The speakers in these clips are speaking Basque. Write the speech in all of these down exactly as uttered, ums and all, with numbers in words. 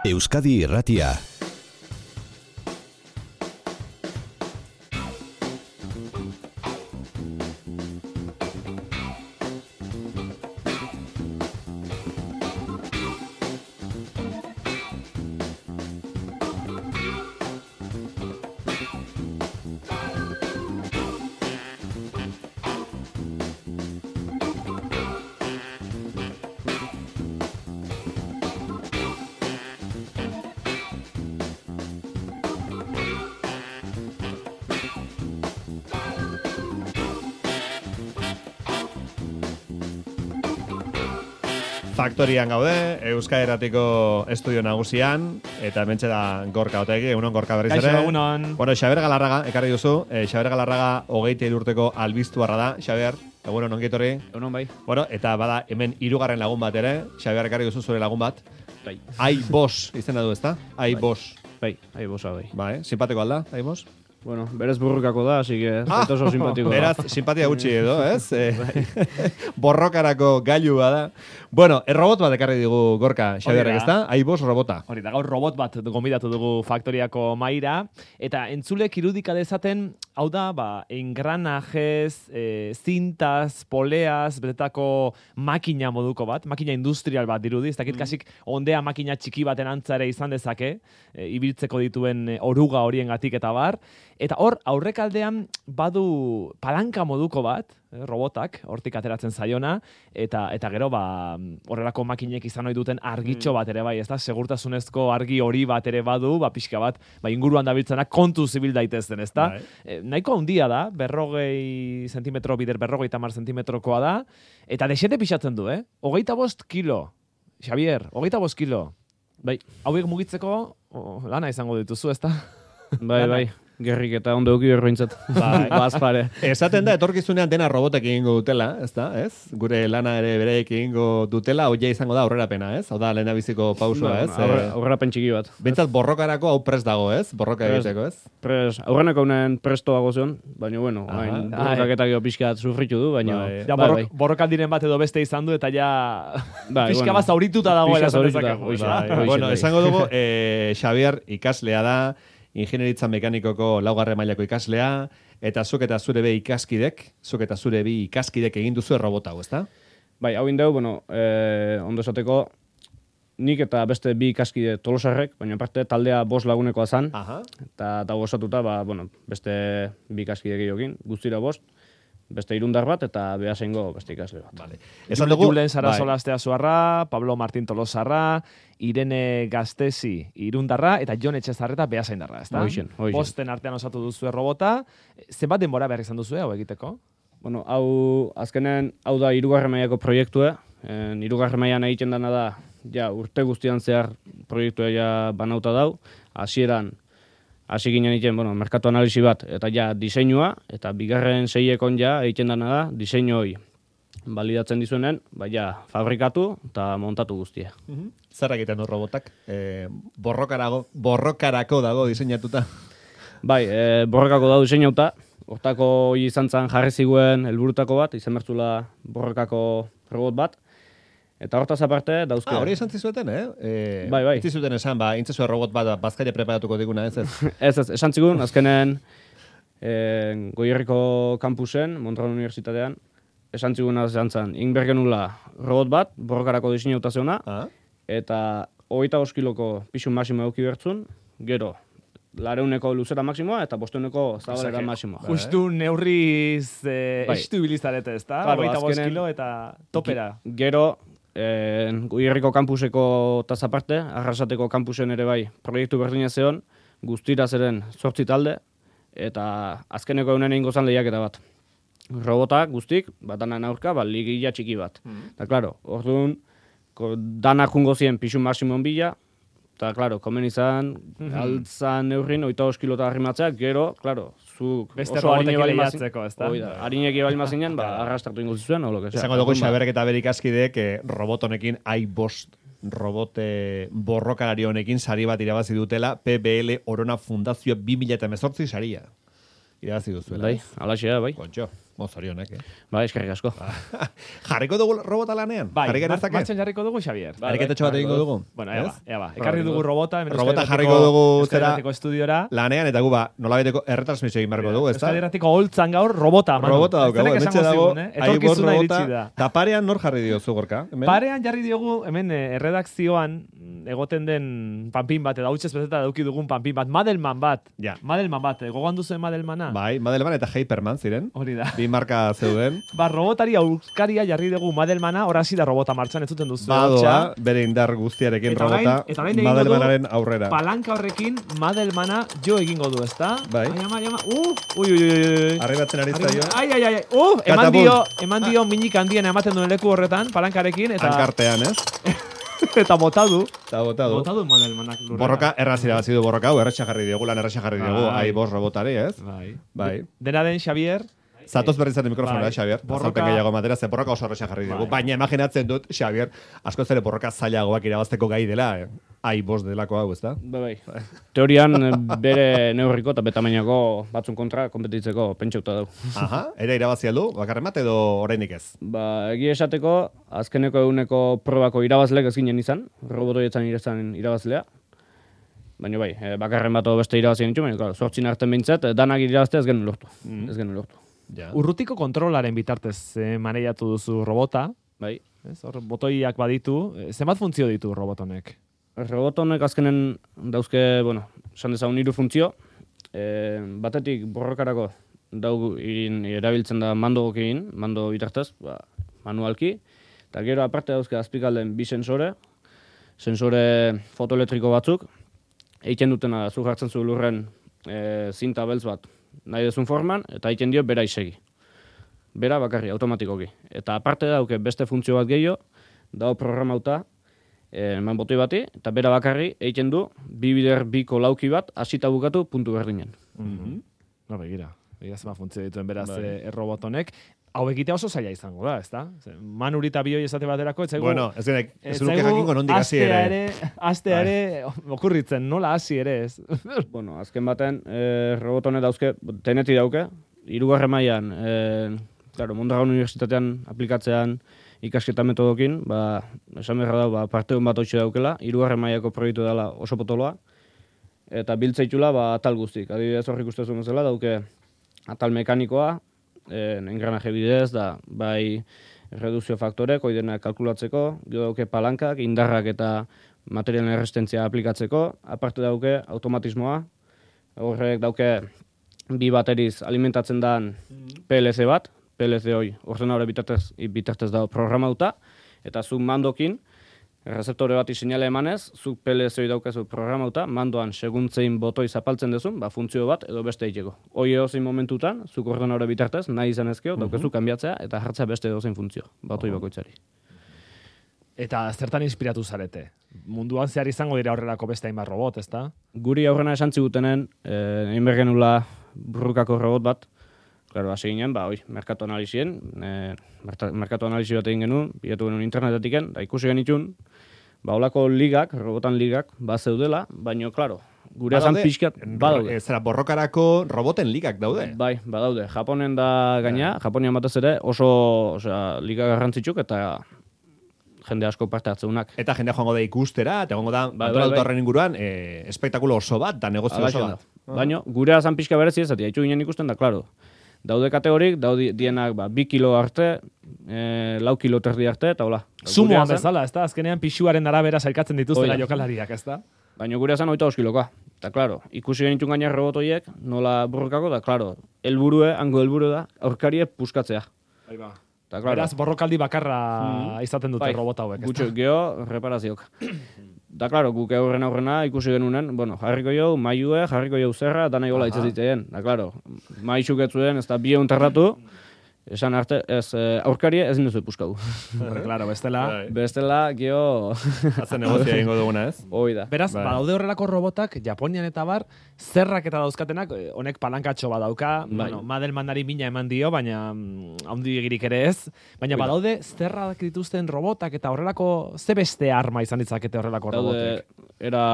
Euskadi Irratia. Faktorian gaude, Euskadi Irratiko estudio nagusian, eta hementxe da Gorka Otegi, egunon Gorka berriz ere. Kaixo, egunon. Bueno, Xaber Galarraga, ekarri duzu, eh, Xaber Galarraga hogeita hiru urteko albiztuarra da, Xaber, egunon ongietorri. Egunon bai. Bueno, eta bada hemen hirugarren lagun bat ere, Xaber ekarri duzu zure lagun bat. Bai. Ai Bos, izena du ezta? Ai Bos. Bai, ai bosa bai. Ba, eh? Simpatiko alda, Ai Bos? Bueno, berez burrukako da, así que ah, oso simpatiko. Beraz, simpatia gutxi edo, ez? Eh, borrokarako gailua da. Bueno, errobot bat ekarri digu Gorka, Xaberrek, ezta? Ai Bos robota. Hori da, gaur robot bat gonbidatu dugu Faktoriako maira, eta entzulek irudika dezaten, hau da, ba, engranajez, e, zintaz, poleaz, betetako makina moduko bat, makina industrial bat dirudi, ez dakit mm. kasik ondea makina txiki baten antzare izan dezake, e, ibiltzeko dituen e, oruga horiengatik eta bar, eta hor, aurrekaldean badu palanka moduko bat, eh, robotak, hortik ateratzen zaiona, eta eta gero, ba, horrelako makinek izan ohi duten argitxo bat ere bai, ez da, segurtasunezko argi hori bat ere badu, ba, pixka bat, ba, inguruan dabiltzenak kontu zibil daitezen, ez da? E, nahiko handia da, berrogei zentimetro bider, berrogei tamar zentimetrokoa da, eta desete pixatzen du, eh? Hogeita bost kilo, Xavier, hogeita bost kilo. Bai, hauek mugitzeko, oh, lana izango dituzu, ez da? Bai, bai. Gerrik eta ondo euki berrointzat. Bai, bazpare. Esaten da, etorkizunean dena robotek egingo dutela, ez da, ez? Gure lana ere bereik egingo dutela, hoia izango da aurrerapena, ez? Hau da, lehenabiziko pausua, ez? Aurre, aurrerapen txiki bat. Bentsat borrokarako hau prest dago, ez? Borroka egiteko, ez? Pres, aurreneko honen prestoago zion, baina, bueno, hain borrokaketak jo pixkat sufritu du, baina... Bai. Ja, borro, bai, bai. Borrokaldiren bat edo beste izan du, eta ja... Bai, pixka bueno, bat zaurituta dagoela. Bueno, esango dugu, eh, Xavier ikaslea da, ingenieritza mekanikoko laugarren mailako ikaslea, eta zuk eta zure be ikaskidek, zuk eta zure bi ikaskidek egin duzu errobota hau, ezta? Bai, hau indeu, bueno, eh, ondo esateko, nik eta beste bi ikaskide Tolosarrek, baina parte taldea bost lagunekoa zan, Aha. eta dago osatuta, ba, bueno, beste bi ikaskide gehiokin, guztira bost, beste irundar bat, eta behasengo beste ikasle bat. Vale. Esan dugu, Julen Sarasola Asteazuarra, Pablo Martín Tolosarra, Irene Gastesi irundarra, eta Jon Etxezarreta behasaindarra, ezta? Hoixen, hoixen. Bosten artean osatu duzu errobota. Zenbat denbora behar izan duzu hau egiteko? Bueno, hau, azkenen, hau da hirugarren mailako proiektue. Hirugarren mailan egiten dana da, ja, urte guztian zehar proiektua ja banauta dau. Hasieran hasi ginen egiten, bueno, merkatu analisi bat, eta ja, diseinua, eta bigarren seiekon ja, egiten dana da, diseinu hori balidatzen dizuenen, baina fabrikatu eta montatu guztia. Mm-hmm. Zer egiten du robotak? E, borrokarako, borrokarako dago diseinatuta? Bai, e, borrokako dago diseinauta, hortako hori izan zen jarri ziguen helburutako bat, izan bertzula borrokako robot bat, eta hortaz aparte dauzke. Ah, hori esan zizueten, eh? E, bai, bai. Zizuten esan, ba, intzezu robot bat bazkaria preparatuko diguna, ez ez? ez, ez, esan zigun, azkenen e, Goierriko kampusen, Montreal Unibertsitatean, esan ziguna esan zen, inbergenula robot bat, borrokarako diseinauta zeuna, ah? eta hogeita bost kiloko pisu maximo euki bertzun, gero, lareuneko luzera maximoa eta bosteuneko zabalera maximoa. Justu neurriz eh, bai. Estu bilizarete, ez da? Claro, hogeita bost kilo eta topera. Gero, eh, Goierriko kampuseko tazaparte, Arrasateko kampusen ere bai, proiektu berdina zeon, guztira zeren zortzi talde, eta azkeneko eunen egingo zan lehiaketa bat. Robotak guztik, batanan aurka, ba, ligila txiki bat. Mm. Eta, klaro, orduan, dana jungo zien pisu maximum bila, eta, klaro, komen izan, mm-hmm. altzan neurrin, oita os kilota arrimatzea, gero, klaro, zuk beste oso harinek lehiatzeko, ez da? Harinek ebali mazinen, ba, arrastratu ingo zizuen, o lo que sea. Esango dugu Xaberrek eta berik askidek eh, robot honekin ai bost robote borrokalari honekin sari bat irabazi dutela P B L Orona Fundazio bi mila hemezortzi saria. irabazi duzuela. Bai, alaxea, bai. Kontxo, mozorionek, eh? Bai, eskerrik asko. Jarriko dugu robota lanean? Bai, Jarri genezake? martxan jarriko dugu, Xavier. Bai, Ariketetxo bat egingo dugu. Bueno, ea ba, ea ba. Ekarri dugu robota. Robota jarriko dugu zera estudiora. Lanean, eta gu ba, nolabeteko erretransmisio egin barko dugu, ez da? Euskal Herratiko holtzan gaur robota, manu. Robota daukagu, hementxe dago, etorkizuna iritsi da. Eta parean nor jarri diozu, Gorka? Parean jarri diogu, hemen erredakzioan egoten den panpin bat, eta hautsez bezeta dauki dugun panpin bat, Madelman bat. Ja. Madelman bat, gogoan duzuen Madelmana? Bai, Madelman eta Hyperman ziren. Hori da. Bi marka zeuden. Ba, robotari aurkaria jarri dugu Madelmana, hori da robota martxan, ez zuten duzu. Badoa, bere indar guztiarekin robota, Madelmanaren aurrera. Palanka horrekin Madelmana jo egingo du, ezta? Bai. Ai, ama, ama, uh, ui, ui, ui. Arribatzen ari zaio. Ai, ai, ai, uh, eman dio, eman dio minik handien ematen duen leku horretan, palankarekin, eta... Hankartean, ez? Eta botadu. Eta botadu. Botadu Madelmanak lurrera. Borroka errazira bat zidu borroka, hau, erratxa jarri diogu, lan erratxa jarri diogu, ai, bos robotari, ez? Bai. Bai. Dena den, Xavier... Zatoz berri zaten mikrofonera, Xavier. Azalpen gehiago matera, ze borroka oso erratxa jarri diogu. Baina imaginatzen dut, Xavier, asko zere borroka zailagoak irabazteko gai dela, eh? Ai, bos delako hau, ez da? Bai, bai. Teorian, bere neurriko eta betamainako batzun kontra kompetitzeko pentsauta dau. Aha, ere irabazi aldu, bakarren bat edo orainik ez? Ba, egia esateko, azkeneko eguneko probako irabazlek ez ginen izan, robotoietzan irezan irabazlea. Baina bai, bakarren bat beste irabazien ditu, baina zortzin arten behintzat, danak irabazte ez genuen lortu. Mm. Ez genuen lortu. Ja. Urrutiko kontrolaren bitartez eh, maneiatu duzu robota. Bai. Ez, hor, botoiak baditu. Zenbat funtzio ditu robotonek? Robotonek azkenen dauzke, bueno, esan dezagun hiru funtzio. E, batetik borrokarako dau egin erabiltzen da mando egin, mando bitartez, ba, manualki. Eta gero aparte dauzke azpikalden bi sensore, sensore fotoelektriko batzuk. Eiten dutena zu jartzen zu lurren e, zinta beltz bat nahi dezun forman, eta egiten dio bera isegi. Bera bakarri, automatikoki. Eta aparte dauke beste funtzio bat gehiago, dago programauta, eman botoi bati, eta bera bakarri egiten du, bi bider biko lauki bat, hasita bukatu puntu berdinen. Mm-hmm. No, begira. Begira zema funtzio dituen beraz bai. e, robotonek. Hau egitea oso zaila izango da, ezta? Manurita bioi esate baterako, ez zaigu... Bueno, ez genek, ez nuke jakingo nondik hasi ere. ere. Astea ere, okurritzen, nola hasi ere ez. Bueno, azken baten, e, robotone dauzke, teneti dauke, hirugarren mailan, e, claro, Mondragon Unibertsitatean aplikatzean ikasketa metodokin, ba, esan beharra da, ba, parte hon bat hoitxe daukela, hirugarren mailako proiektu dela oso potoloa, eta biltzeitula, ba, atal guztik. Adibidez horrik ustezun bezala, dauke atal mekanikoa, en engranaje bidez, da, bai reduzio faktorek, oidena kalkulatzeko, gero dauke palankak, indarrak eta materialen errestentzia aplikatzeko, aparte dauke automatismoa, horrek dauke bi bateriz alimentatzen dan P L C bat, P L C hoi ordenadore bitartez, bitartez dago programauta, eta zu mandokin, rezeptore bat isinale emanez, zuk P L C hoi daukazu programauta, mandoan seguntzein botoi zapaltzen dezun, ba, funtzio bat edo beste egiteko. Hoi edozein momentutan, zuk ordenadore bitartez, nahi izan ezkeo, daukazu kanbiatzea eta jartzea beste edozein funtzio, botoi bakoitzari. Eta zertan inspiratu zarete? Munduan zehar izango dira horrelako beste hainbat robot, ezta? Guri aurrena esan zigutenen, eh, egin bergenula burrukako robot bat, claro, hasi ginen, ba, oi, merkatu analizien, eh, merkatu analizi bat egin genuen, bilatu genuen internetetiken, da ikusi genitun, ba, holako ligak, robotan ligak, ba, zeudela, baina, claro, gure azan pixkat, badaude. Zera, borrokarako roboten ligak daude? Bai, badaude. Japonen da gaina, Japonian batez ere, oso, osea, liga garrantzitsuk, eta jende asko parte hartzeunak. Eta jendea joango da ikustera, eta joango da, bai, antolatu bai, horren inguruan, e, espektakulo oso bat, da negozio oso bat. Ah. Baina, gure azan pixka berezi ez, eta haitu ginen ikusten da, klaro. Daude kategorik, daude dienak ba, bi kilo arte, e, lau kilo terdi arte, eta hola. Sumoan bezala, ez da? Azkenean pixuaren arabera sailkatzen dituztela jokalariak, ez da? Baina gure azan oita oskiloka. Eta, klaro, ikusi genitun gaina robotoiek, nola burrokako, da, klaro, helburue, hango helburu da, aurkarie puskatzea. Aiba. Ta, claro. Beraz, borrokaldi bakarra mm. izaten dute bai, robota hauek. Gutxo, geho, reparaziok. Da, klaro, guk aurrena aurrena ikusi genunen, bueno, jarriko jau, maiue, jarriko jau zerra, da nahi gola itzazitzen. Da, klaro, maixuk etzuen, ez da bie unterratu, esan arte, ez, aurkarie ezin duzu puskatu. Claro, bestela. Bestela, geho... Hazen negozia egingo duguna, ez? Hoi da. Beraz, bai. Badaude horrelako robotak, Japonian eta bar, zerrak eta dauzkatenak, honek palankatxo badauka, bai. Bueno, Madelmanari mina eman dio, baina handi egirik ere ez, baina bai. Badaude zerrak dituzten robotak eta horrelako, ze beste arma izan ditzakete horrelako robotek? Era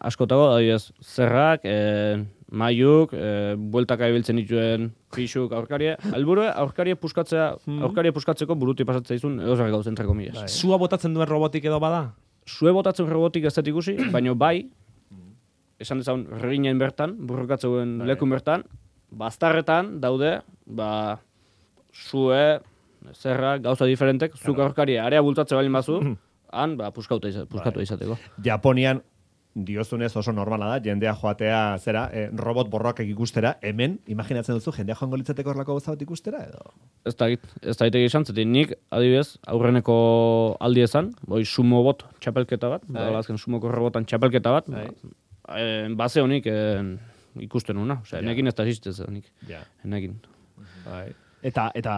askotago, adibidez, zerrak, e, mailuk, e, bueltaka ibiltzen dituen pixuk aurkaria. Helburua aurkaria puskatzea, aurkaria puskatzeko buruti pasatzea izun edo zer gauzen treko milas. Sua botatzen duen robotik edo bada? Sue botatzen robotik ez dut ikusi, baina bai, esan dezagun reginen bertan, burrokatzeuen lekun bertan, baztarretan daude, ba, sue, zerra, gauza diferentek, zuk aurkaria area bultzatze balin bazu, han, ba, puskatu izateko. Japonian, diozunez oso normala da, jendea joatea, zera, eh, robot borroak ikustera, hemen, imaginatzen duzu, jendea joango litzateko horlako gauza bat ikustera, edo? Ez da git, ez da itegi esan, zetik nik, adibidez, aurreneko aldi ezan, boi sumo bot txapelketa bat, da azken sumoko robotan txapelketa bat, ba, eh, base honik eh, ikusten una, osea, yeah. Enekin ez da existez, nik, yeah. Enekin. Bai. Eta, eta,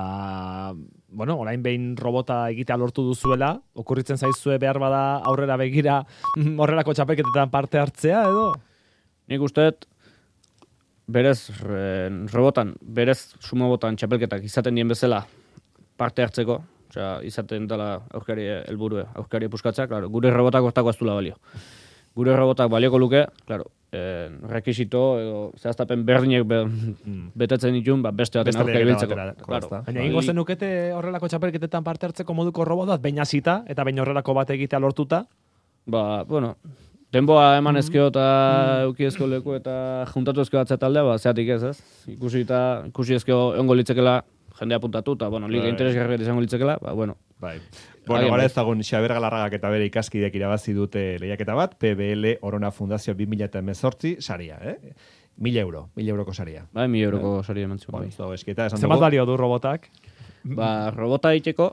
bueno, orain behin robota egitea lortu duzuela, okurritzen zaizue behar bada aurrera begira horrelako txapelketetan parte hartzea, edo? Nik usteet, berez, re, robotan, berez sumobotan txapelketak izaten dien bezala parte hartzeko, osea, izaten dela aurkari helburue, aurkari puskatzea, claro, gure robotak hortako ez dula balio. Gure robotak balioko luke, claro, eh, rekisito edo zehaztapen berdinek be, betetzen ditun, ba, beste baten aurka ibiltzeko. Claro. Baina ingo zenukete horrelako txapelketetan parte hartzeko moduko robotat, baina zita, eta baina horrelako bat egitea lortuta? Ba, bueno, denboa eman ezkeo eta mm. euki ezkeo leku eta juntatu ezkeo batzea taldea, ba, zeatik ez, ez? Ikusi eta ikusi ezkeo ongo litzekela jendea puntatu, eta, bueno, liga interesgarri izango litzekela, ba, bueno. Bai. Bueno, gara ezagun Xabier Galarragak eta bere ikaskidek irabazi dute lehiaketa bat, P B L Orona Fundazio bi mila hemezortzi saria, eh? Mila euro, mila euroko saria. Bai, mila euroko eh? saria eman zuen. Bueno, eskita, esan dugu. Zenbat balio du robotak? Ba, robota iteko,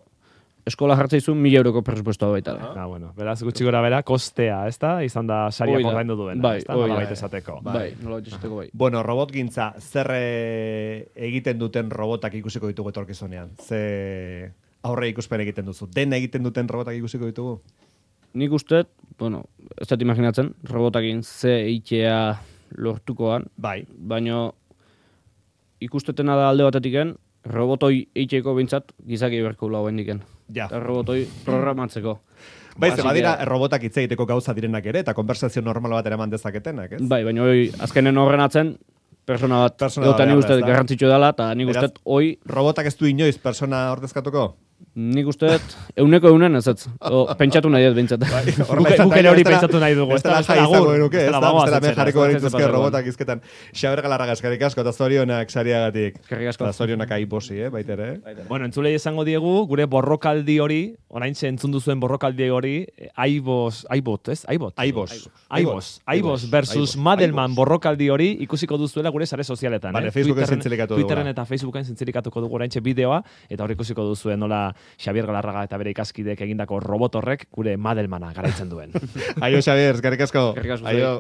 eskola jartzea izun mila euroko presupuestoa baita. Ah, bueno, beraz gutxi gora bera, kostea, ez da? Izan da saria ordaindu duena, bai, ez da? Nola baita esateko. Bai, nola baita esateko bai. Bueno, robot gintza, zer egiten duten robotak ikusiko ditugu etorkizunean? Ze aurre ikuspen egiten duzu. Dena egiten duten robotak ikusiko ditugu? Nik usteet, bueno, ez dut imaginatzen, robotakin ze eitea lortukoan. Bai. Baina ikustetena da alde batetiken, robotoi eiteko bintzat gizaki berko lau hendiken. Ja. Eta robotoi programatzeko. Bai, ze badira robotak hitz egiteko gauza direnak ere, eta konversazio normal bat eraman dezaketenak, ez? Bai, baina hoi, azkenen horren atzen, persona bat, eta nik usteet garrantzitsu dela, eta nik usteet hoi... Robotak ez du inoiz persona ordezkatuko? Nik usteet, euneko eunen ez ez, pentsatu nahi ez behintzat. Gukene hori pentsatu nahi dugu. Ez dela jai izango eruke, ez da, ez dela jarriko berituzke robotak izketan. Xabier Galarraga, eskerrik asko, eta zorionak sariagatik. Eskerrik asko. Eta zorionak aiposi, eh, baitere. Bueno, entzulei esango diegu, gure borrokaldi hori, orain ze entzun duzuen borrokaldi hori, aibos, aibot, ez? Aibot. Aibos. Aibos. Aibos versus Madelman borrokaldi hori ikusiko duzuela gure sare sozialetan. Vale, Facebooken zintzilikatu dugu. Twitteren eta Facebooken zintzilikatuko dugu oraintxe bideoa, eta hor ikusiko duzuen nola Xabier Galarraga eta bere ikaskidek egindako robot horrek gure Madelmana garaitzen duen. Aio, Xabier, eskerrik asko. Eskerrik asko. Aio.